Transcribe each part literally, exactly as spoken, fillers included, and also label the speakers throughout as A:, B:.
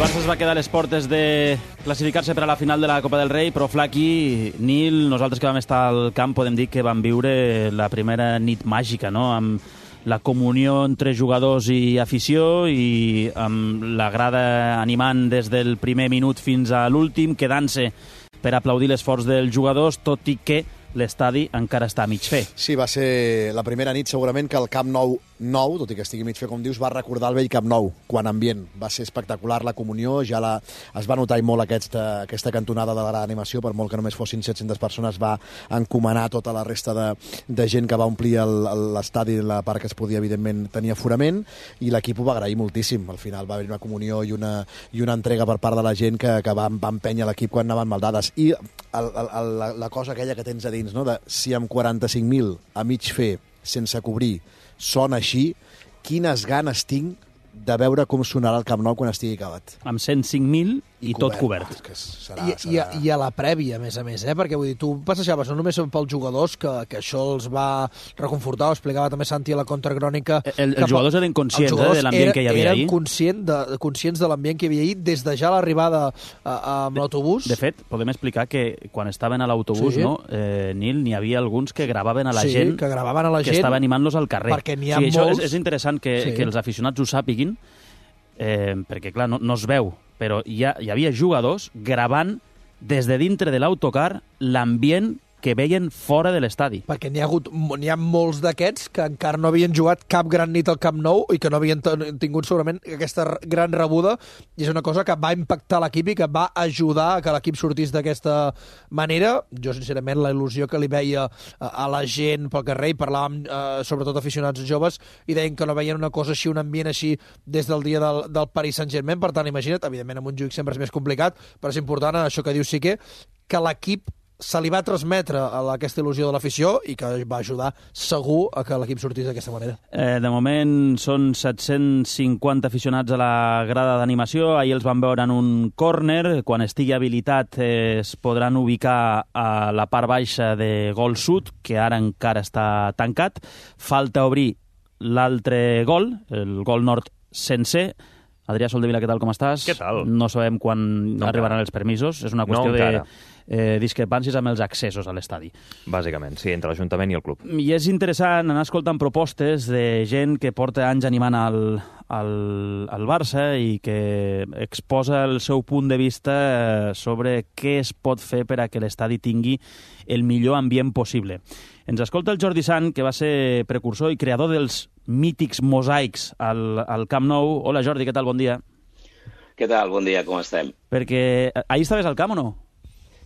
A: Barça es va quedar a les portes de classificar-se per a la final de la Copa del Rei, però Flaqui, Nil, nosaltres que vam estar al camp podem dir que vam viure la primera nit màgica, no?, amb la comunió entre jugadors i afició i amb la grada animant des del primer minut fins a l'últim, quedant-se per aplaudir l'esforç dels jugadors, tot i que l'estadi encara està a mig fer.
B: Sí, va ser la primera nit segurament que el Camp Nou nou, tot i que estigui mig fer, com dius, va recordar el vell Camp Nou, quan ambient. Va ser espectacular la comunió, ja la, es va notar molt aquesta, aquesta cantonada de l'animació, per molt que només fossin set-centes persones, va encomanar tota la resta de, de gent que va omplir l'estadi, la part que es podia, evidentment, tenir aforament, i l'equip ho va agrair moltíssim. Al final va haver una comunió i una, i una entrega per part de la gent que, que va, va empènyer l'equip quan anaven maldades. I el, el, la, la cosa aquella que tens a dins, no?, de si amb quaranta-cinc mil a mig fer, sense cobrir, sona així, quines ganes tinc de veure com sonarà el Camp Nou quan estigui acabat.
A: Amb cent cinc mil i, I tot cobert.
B: Ah, que serà,
C: I,
B: serà...
C: I, a, I a la prèvia, a més a més, eh? Perquè vull dir, tu passejaves no només pels jugadors, que, que això els va reconfortar, ho explicava també Santi a la contracrònica.
A: El, els jugadors eren conscients eh, de l'ambient que hi havia ahir.
C: Eren conscient de, conscients de l'ambient que hi havia ahir des de ja l'arribada amb l'autobús.
A: De fet, podem explicar que quan estaven a l'autobús,
C: sí.
A: no, eh, Nil, n'hi havia alguns que gravaven a la
C: sí,
A: gent
C: que, gravaven a la
A: que
C: gent,
A: estava animant-los al carrer.
C: Perquè n'hi ha
A: sí,
C: molts...
A: Això és, és interessant que, sí. que els aficionats ho sàpiguin, eh, perquè, clar, no, no es veu, però hi, ha, hi havia jugadors gravant des de dintre de l'autocar l'ambient que veien fora de l'estadi.
C: Perquè n'hi ha hagut, n'hi ha molts d'aquests que encara no havien jugat cap gran nit al Camp Nou i que no havien tingut segurament aquesta gran rebuda, i és una cosa que va impactar l'equip i que va ajudar a que l'equip sortís d'aquesta manera. Jo, sincerament, la il·lusió que li veia a la gent pel carrer, i parlàvem eh, sobretot aficionats joves, i deien que no veien una cosa així, un ambient així, des del dia del, del Paris Saint-Germain. Per tant, imagina't, evidentment amb un jugador sempre és més complicat, però és important, això que diu Sique, que l'equip se li va transmetre a aquesta il·lusió de l'afició i que va ajudar segur a que l'equip sortís d'aquesta manera.
A: Eh, de moment són set-cents cinquanta aficionats a la grada d'animació. Ahir els van veure en un córner. Quan estigui habilitat eh, es podran ubicar a la part baixa de Gol Sud, que ara encara està tancat. Falta obrir l'altre gol, el Gol Nord sencer. Adrià Soldevila, què tal, com estàs?
D: Què tal?
A: No sabem quan no arribaran els permisos. És una qüestió
D: no
A: de eh, discrepàncies amb els accessos a l'estadi.
D: Bàsicament, sí, entre l'Ajuntament i el club.
A: I és interessant anar escoltant propostes de gent que porta anys animant al, al, al Barça i que exposa el seu punt de vista sobre què es pot fer per a que l'estadi tingui el millor ambient possible. Ens escolta el Jordi Sant, que va ser precursor i creador dels mítics mosaics al, al Camp Nou. Hola, Jordi, què tal? Bon dia.
E: Què tal? Bon dia, com estem?
A: Perquè ahir estaves al camp o no?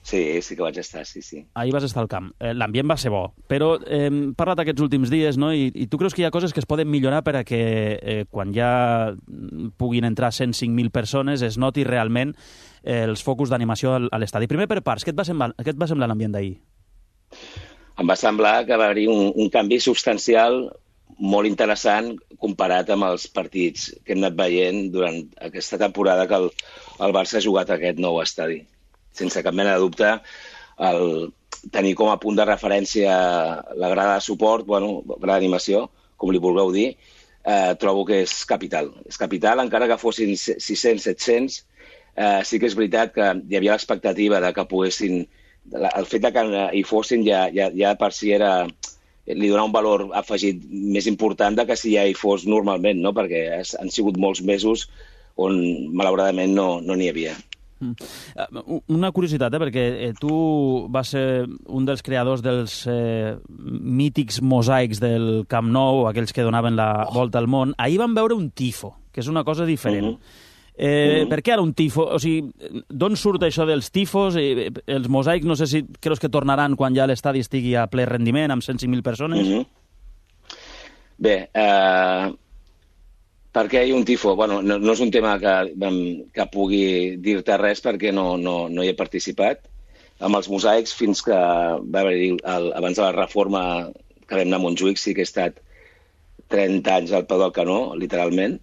E: Sí, sí que vaig estar, sí, sí.
A: Ahir vas estar al camp. L'ambient va ser bo, però eh, hem parlat aquests últims dies, no? I, i tu creus que hi ha coses que es poden millorar per a que eh, quan ja puguin entrar cent cinc mil persones es noti realment eh, els focus d'animació a l'estadi. Primer per parts, què et va semblar, què et va semblar l'ambient d'ahir?
E: Em va semblar que va haver-hi un, un canvi substancial molt interessant comparat amb els partits que hem anat veient durant aquesta temporada que el, el Barça ha jugat a aquest nou estadi. Sense cap mena de dubte, el tenir com a punt de referència la grada de suport, bueno, grada d'animació, com li vulgueu dir, eh, trobo que és capital. És capital, encara que fossin sis-cents, set-cents, eh, sí que és veritat que hi havia l'expectativa de que poguessin... El fet de que hi fossin ja, ja, ja per si era... li donava un valor afegit més important de que si ja hi fos normalment, no? Perquè han sigut molts mesos on, malauradament, no n'hi no havia.
A: Una curiositat, eh? perquè tu vas ser un dels creadors dels eh, mítics mosaics del Camp Nou, aquells que donaven la oh. volta al món. Ahir vam veure un tifo, que és una cosa diferent. Uh-huh. Eh, uh-huh. Per què ara un tifo? O sigui, d'on surt això dels tifos? Eh, els mosaics, no sé si creus que tornaran quan ja l'estadi estigui a ple rendiment, amb cent cinc mil persones?
E: Uh-huh. Bé, eh, per què hi ha un tifo? Bueno, no, no és un tema que, que pugui dir-te res perquè no, no, no hi he participat. Amb els mosaics, fins que va haver-hi, abans de la reforma que vam anar a Montjuïc, sí que he estat trenta anys al peu del canó, literalment,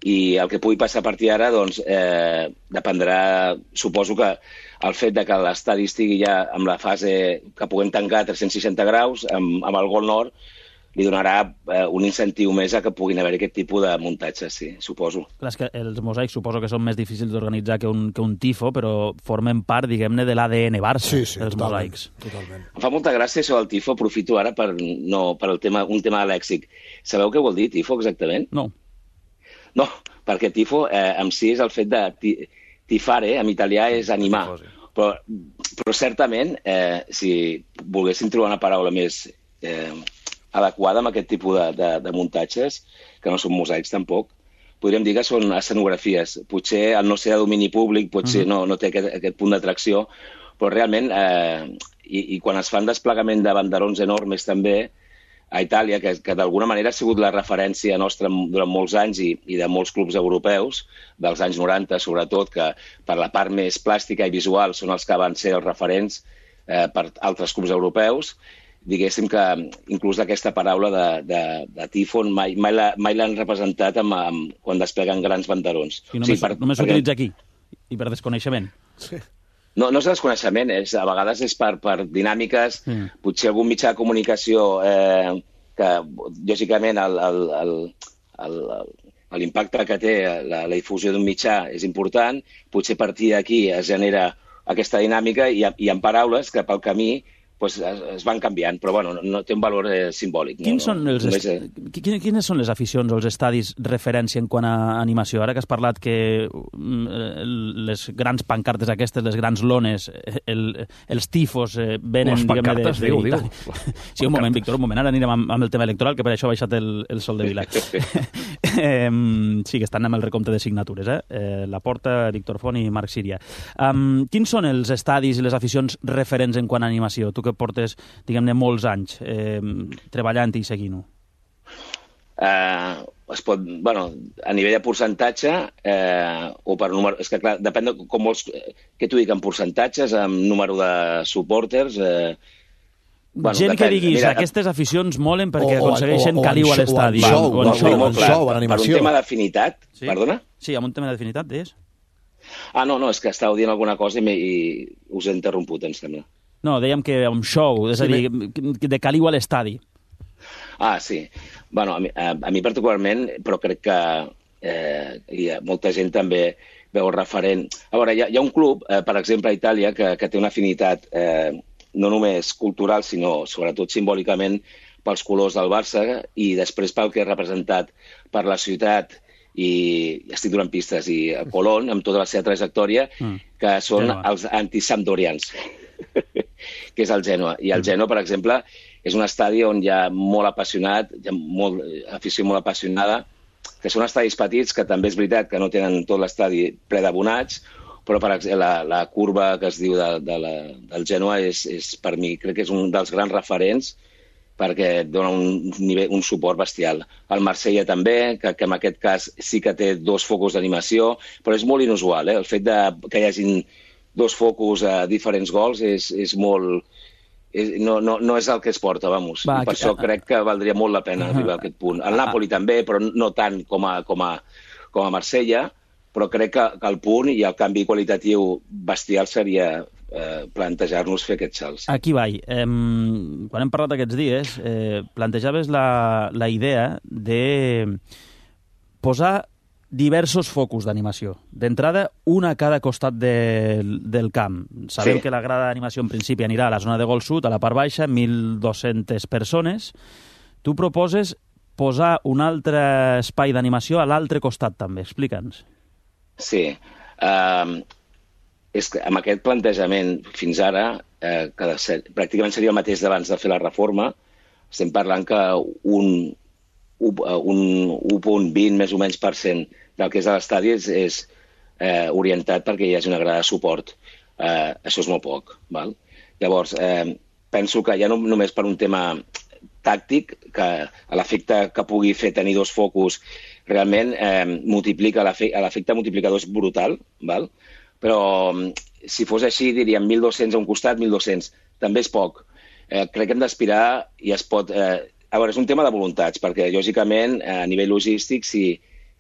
E: i el que pugui passar a partir d'ara doncs, eh, dependrà, suposo que el fet de que l'estadi estigui ja amb la fase que puguem tancar a tres-cents seixanta graus, amb, amb el Gol Nord, li donarà eh, un incentiu més a que puguin haver aquest tipus de muntatges, sí, suposo.
A: Clar, és que els mosaics suposo que són més difícils d'organitzar que, un, que un tifo, però formen part, diguem-ne, de l'A D N Barça,
B: sí, sí,
A: els
B: totalment,
A: mosaics.
B: Totalment.
E: Em fa molta gràcia això del tifo, aprofito ara per, no, per el tema, un tema lèxic. Sabeu què vol dir tifo exactament?
A: No.
E: No, perquè tifo eh, en si és el fet de ti, tifare, en italià és animar. Però, però certament, eh, si volguéssim trobar una paraula més eh, adequada amb aquest tipus de, de, de muntatges, que no són mosaics tampoc, podríem dir que són escenografies. Potser al no ser de domini públic, potser uh-huh. no, no té aquest, aquest punt d'atracció, però realment, eh, i, i quan es fan desplegament de banderons enormes també, a Itàlia, que, que d'alguna manera ha sigut la referència nostra durant molts anys i, i de molts clubs europeus, dels anys noranta sobretot, que per la part més plàstica i visual són els que van ser els referents eh, per altres clubs europeus, diguéssim que inclús aquesta paraula de, de, de tifon mai, mai, la, mai l'han representat amb, amb, quan despleguen grans banderons.
A: I només, o sigui, per, només s'utilitza perquè... aquí, i per desconeixement.
B: Sí.
E: No, no és desconeixement, és, a vegades és per, per dinàmiques, mm. potser algun mitjà de comunicació eh, que, lògicament, el, el, el, el, l'impacte que té la, la difusió d'un mitjà és important, potser a partir d'aquí es genera aquesta dinàmica i, i en paraules que pel camí pues, es, es van canviant, però bueno, no, no té un valor eh, simbòlic.
A: Quins
E: no,
A: són
E: no,
A: els
E: només,
A: est... eh... Quines són les aficions o els estadis referència en quant a animació? Ara que has parlat que les grans pancartes aquestes, les grans lones, el, els tifos eh, venen,
D: les pancartes,
A: diguem-ne, de, de,
D: diu, diu.
A: Sí, un moment, Víctor, un moment. Ara anirem amb, amb el tema electoral, que per això ha baixat el, el sol de Vila. eh, sí, que estan amb el recompte de signatures, eh? eh la Porta, Víctor Font i Marc Síria. Um, quins són els estadis i les aficions referents en quant a animació? Tu que portes, diguem-ne, molts anys eh, treballant i seguint-ho.
E: Uh, es pot, bueno, a nivell de percentatge eh, o per número... És que, clar, depèn de com vols... Què t'ho dic, en percentatges, amb número de supporters... Eh,
A: bueno, gent depèn. Que diguis, mira, aquestes aficions molen perquè o, aconsegueixen
B: o, o,
A: caliu a l'estadi.
B: O en show, o en show,
E: o en show,
B: en animació.
E: Per un tema d'afinitat,
A: sí?
E: Perdona?
A: Sí, amb un tema d'afinitat, deies?
E: Ah, no, no, és que estàveu dient alguna cosa i, i us he interromput, em sembla.
A: No, dèiem que un show, és sí, a dir, me... de caliu a l'estadi.
E: Ah, sí. Bueno, a mi, a, a mi particularment, però crec que eh, hi ha molta gent també veu referent. A veure, hi ha, hi ha un club, eh, per exemple, a Itàlia, que, que té una afinitat eh, no només cultural, sinó sobretot simbòlicament pels colors del Barça i després pel que ha representat per la ciutat i estic donant pistes, i a Colón, amb tota la seva trajectòria, mm. que són Genoa. Els antisampdorians, que és el Genoa. I el Genoa, per exemple, és un estadi on hi ha molt apassionat, hi ha molt, afició molt apassionada, que són estadis petits, que també és veritat que no tenen tot l'estadi ple d'abonats, però per exemple, la, la curva que es diu de, de la, del Genoa és, és, per mi, crec que és un dels grans referents perquè dona un, nivell, un suport bestial. El Marsella també, que, que en aquest cas sí que té dos focus d'animació, però és molt inusual. Eh? El fet de, que hi hagin dos focus a diferents gols és, és molt... És, no, no, no és el que es porta, vamos. Va, I per que... això crec que valdria molt la pena arribar a aquest punt. El Napoli també, però no tant com a, com a, com a Marsella, però crec que, que el punt i el canvi qualitatiu bestial seria eh, plantejar-nos fer aquests salts.
A: Aquí vaig. Eh, quan hem parlat aquests dies, eh, plantejaves la, la idea de posar diversos focus d'animació. D'entrada, una a cada costat del, del camp. Sabem sí. que la grada d'animació en principi anirà a la zona de gol sud, a la part baixa, mil dos-centes persones. Tu proposes posar un altre espai d'animació a l'altre costat també. Explica'ns.
E: Sí. Uh, és que amb aquest plantejament fins ara, eh, que ser, pràcticament seria el mateix d'abans de fer la reforma, estem parlant que un, un u coma vint més o menys per cent del que és a l'estadi és, és eh, orientat perquè hi hagi una grada de suport. Eh, això és molt poc. Val? Llavors, eh, penso que ja no només per un tema tàctic, que l'efecte que pugui fer tenir dos focus realment eh, multiplica, l'efecte multiplicador és brutal, val? Però si fos així diríem mil dos-cents a un costat, mil dos-cents. També és poc. Eh, crec que hem d'aspirar i es pot... Eh, a veure, és un tema de voluntats, perquè lògicament a nivell logístic, si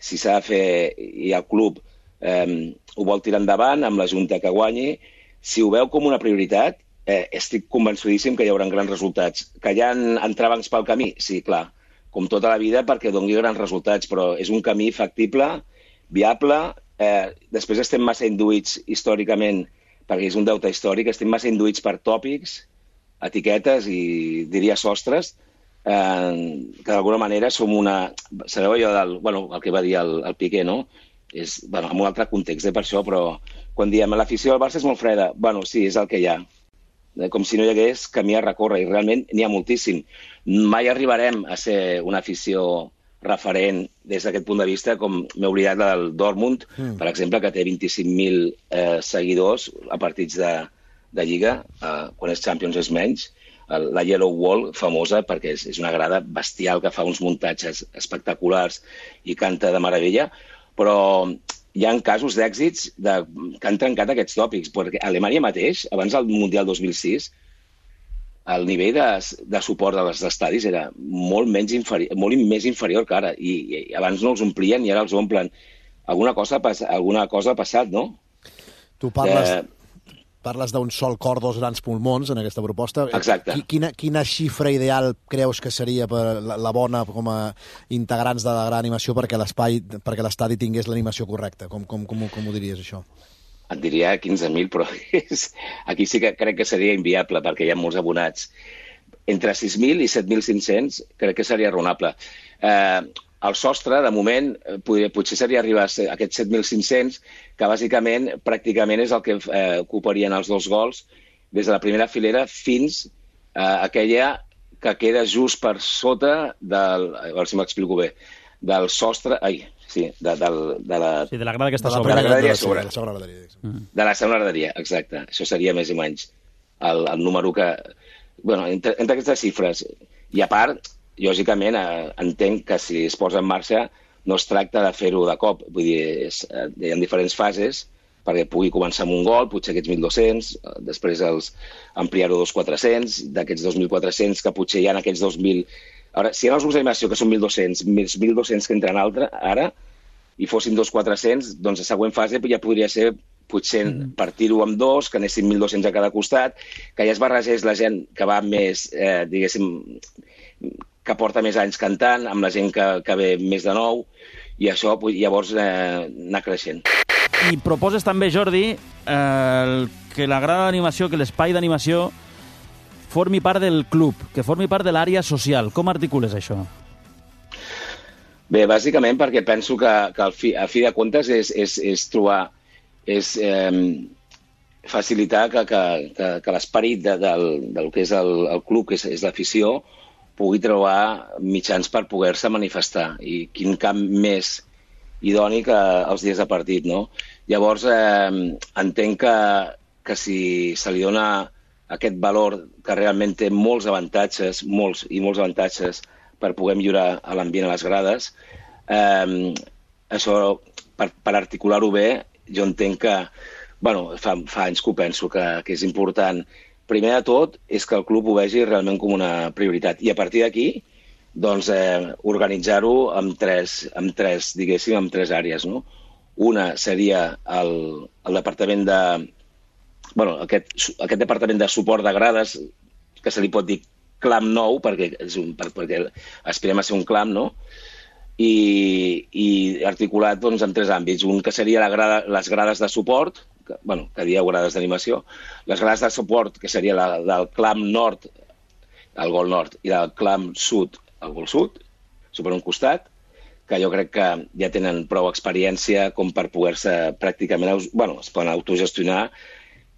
E: si s'ha de fer i el club eh, ho vol tirar endavant amb la Junta que guanyi, si ho veu com una prioritat, eh, estic convençudíssim que hi haurà grans resultats. Que hi ha entrebancs pel camí? Sí, clar, com tota la vida, perquè doni grans resultats, però és un camí factible, viable. Eh, després estem massa induïts històricament, perquè és un deute històric, estem massa induïts per tòpics, etiquetes i, diria, sostres, eh, que d'alguna manera som una... Sabeu allò del... Bueno, el que va dir el, el Piqué, no? És, bueno, en un altre context, eh, per això, però quan diem l'afició del Barça és molt freda, bueno, sí, és el que hi ha. Com si no hi hagués camí a recórrer, i realment n'hi ha moltíssim. Mai arribarem a ser una afició referent des d'aquest punt de vista, com m'he oblidat del Dortmund, mm. per exemple, que té vint-i-cinc mil eh, seguidors a partits de, de Lliga, eh, quan és Champions és menys, la Yellow Wall, famosa, perquè és, és una grada bestial que fa uns muntatges espectaculars i canta de meravella, però hi ha casos d'èxits de, que han trencat aquests tòpics, perquè a Alemanya mateix, abans del Mundial dos mil sis, el nivell de, de suport dels estadis era molt, menys inferi molt més inferior que ara, i, i abans no els omplien i ara els omplen. Alguna cosa, alguna cosa ha passat, no?
B: Tu parles... Eh... Parles d'un sol cor, dos grans pulmons en aquesta proposta.
E: Exacte.
B: Quina, quina xifra ideal creus que seria per la, la bona com a integrants de la gran animació perquè l'espai, perquè l'estadi tingués l'animació correcta? Com, com, com, com ho diries, això?
E: Et diria quinze mil, però és... aquí sí que crec que seria inviable perquè hi ha molts abonats. Entre sis mil i set mil cinc-cents crec que seria raonable. Eh, el sostre, de moment, podria, potser seria arribar a aquests set mil cinc-cents, que bàsicament, pràcticament és el que eh, ocuparien els dos gols des de la primera filera fins a aquella que queda just per sota del... A veure si m'explico bé. Del sostre... Ai, sí, de, de, de la...
A: Sí, de la grada que està
B: de la
A: sobre.
B: De la
E: graderia
B: sobre. De la segona graderia.
E: Mm. De la segona graderia, exacte. Això seria més o menys el, el número que... Bueno, entre, entre aquestes xifres. I a part, lògicament, eh, entenc que si es posa en marxa no es tracta de fer-ho de cop. Vull dir, és, eh, hi ha diferents fases perquè pugui començar amb un gol, potser aquests mil dos-cents, eh, després els ampliar-ho a dos mil quatre-cents, d'aquests dos mil quatre-cents que potser hi ha aquests dos mil... Ara, si hi ha els grups d'animació que són mil dos-cents, més mil dos-cents que entren altre, ara, i fossin dos mil quatre-cents, doncs la següent fase ja podria ser potser mm. partir-ho amb dos, que anessin mil dos-cents a cada costat, que ja es barregés la gent que va més, eh, diguéssim, que porta més anys cantant, amb la gent que, que ve més de nou, i això llavors eh, anar creixent.
A: I proposes també, Jordi, eh, que la grada d'animació, que l'espai d'animació formi part del club, que formi part de l'àrea social. Com articules això?
E: Bé, bàsicament perquè penso que, que al fi, a fi de comptes és, és, és trobar, és eh, facilitar que, que, que, que l'esperit de, del, del que és el, el club, que és, és l'afició, pugui trobar mitjans per poder-se manifestar. I quin camp més idoni que els dies de partit, no? Llavors, eh, entenc que, que si se li dona aquest valor que realment té molts avantatges, molts i molts avantatges per poder millorar l'ambient a les grades, eh, això, per, per articular-ho bé, jo entenc que, bueno, fa, fa anys que ho penso, que, que és important. Primer de tot és que el club ho vegi realment com una prioritat. I a partir d'aquí, doncs, eh, organitzar-ho amb tres, amb tres, diguéssim, amb tres àrees, no? Una seria el, el departament de... Bueno, aquest, aquest departament de suport de grades, que se li pot dir clam nou, perquè, és un, perquè aspirem a ser un clam, no? I, i articulat doncs, en tres àmbits. Un que seria la grada, les grades de suport, que, bueno, que dieu grades d'animació, les grades de suport, que seria la del clam nord, el gol nord, i del clam sud, el gol sud, per un costat, que jo crec que ja tenen prou experiència com per poder-se pràcticament, bueno, es poden autogestionar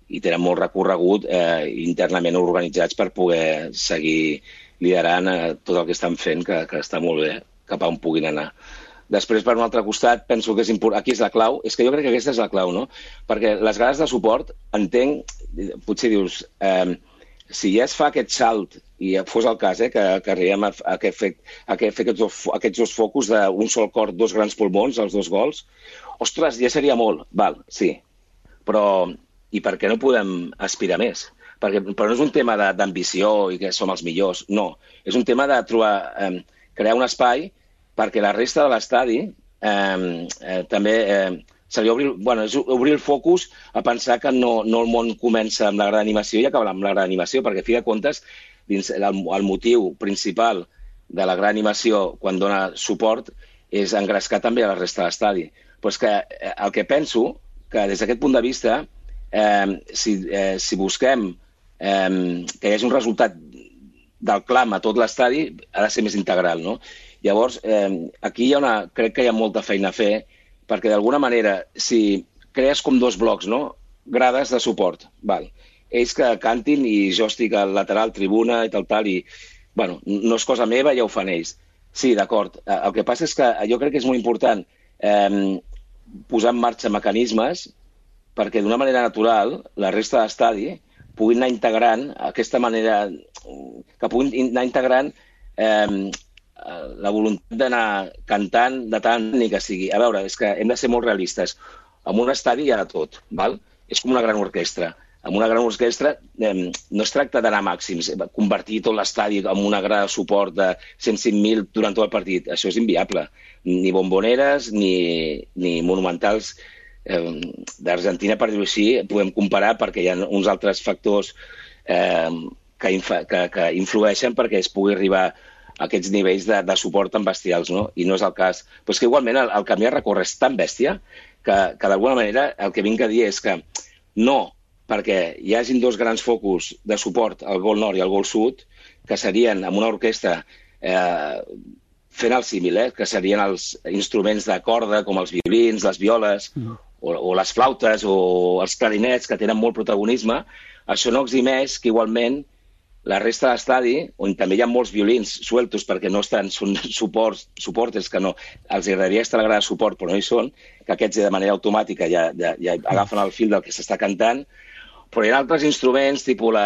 E: i tenen molt recorregut eh, internament organitzats per poder seguir liderant eh, tot el que estan fent, que, que està molt bé, cap a on puguin anar. Després, per un altre costat, penso que és important... Aquí és la clau. És que jo crec que aquesta és la clau, no? Perquè les grades de suport, entenc, potser dius, eh, si ja es fa aquest salt, i fos el cas, eh, que, que arribem a, a, que fer, a que fer aquests dos, aquests dos focus d'un sol cor, dos grans pulmons, els dos gols, ostres, ja seria molt. Val, sí. Però, i per què no podem aspirar més? Perquè, però no és un tema d'ambició i que som els millors, no. És un tema de trobar, eh, crear un espai perquè la resta de l'estadi eh, eh, també eh, seria obrir, bueno, és obrir el focus a pensar que no, no el món comença amb la gran animació i acabarà amb la gran animació, perquè, a fi de comptes, dins el, el motiu principal de la gran animació quan dona suport és engrescar també a la resta de l'estadi. Però és que el que penso, que des d'aquest punt de vista, eh, si, eh, si busquem eh, que hi hagi un resultat del clam a tot l'estadi, ha de ser més integral, no? Llavors, eh, aquí hi ha una, crec que hi ha molta feina a fer, perquè d'alguna manera, si crees com dos blocs, no? Grades de suport, val. Ells que cantin i jo estic al lateral, tribuna i tal, tal, i, bueno, no és cosa meva, ja ho fan ells. Sí, d'acord. El que passa és que jo crec que és molt important eh, posar en marxa mecanismes perquè d'una manera natural la resta de l'estadi puguin anar integrant aquesta manera, que puguin anar integrant eh, la voluntat d'anar cantant de tant ni que sigui. A veure, és que hem de ser molt realistes. En un estadi hi ha de tot, val? És com una gran orquestra. En una gran orquestra eh, no es tracta d'anar a màxims, convertir tot l'estadi en una grada de suport de cent cinc mil durant tot el partit. Això és inviable. Ni bomboneres ni, ni monumentals eh, d'Argentina, per dir-ho així, podem comparar perquè hi ha uns altres factors eh, que, infa, que, que influeixen perquè es pugui arribar a aquests nivells de, de suport tan bestials, no? I no és el cas. Però és que igualment el, el camí a recórrer és tan bèstia que, que d'alguna manera el que vinc a dir és que no perquè hi hagin dos grans focus de suport al gol nord i al gol sud, que serien amb una orquestra eh, fent el símil, eh, que serien els instruments de corda com els violins, les violes, mm. o, o les flautes o els clarinets que tenen molt protagonisme, això no eximeix que igualment la resta de l'estadi, on també hi ha molts violins sueltos perquè no estan, són suports, suportes que no, els agradaria estar a la grada de suport però no hi són, que aquests de manera automàtica ja, ja, ja agafen el fil del que s'està cantant, però hi ha altres instruments, tipus la,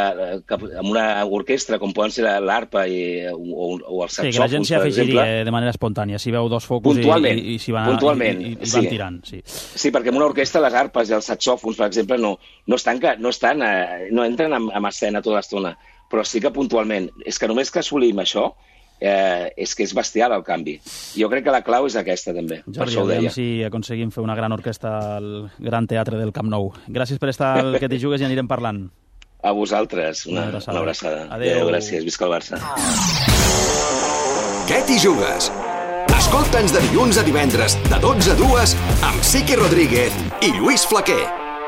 E: que, amb una orquestra, com poden ser l'arpa i, o, o els saxòfons,
A: sí, que la gent s'hi afegiria de manera espontània, si veu dos focus i, i, i s'hi van, i, i, i van
E: sí.
A: tirant. Sí.
E: sí, perquè en una orquestra les arpes i els saxòfons, per exemple, no, no, estan, no, estan, no entren en, en escena tota l'estona, però sí que puntualment. És que només que assolim això, eh, és que és bestial el canvi. Jo crec que la clau és aquesta, també.
A: Jordi,
E: per això ho deia.
A: si aconseguim fer una gran orquestra al Gran Teatre del Camp Nou. Gràcies per estar al Que t'hi jugues i anirem parlant.
E: A vosaltres, una, una abraçada. Una abraçada. Adéu. Adéu, gràcies. Visca el Barça.
F: Que t'hi jugues? Escolta'ns de dilluns a divendres, de dotze a dues, amb Siqui Rodríguez i Lluís Flaquer.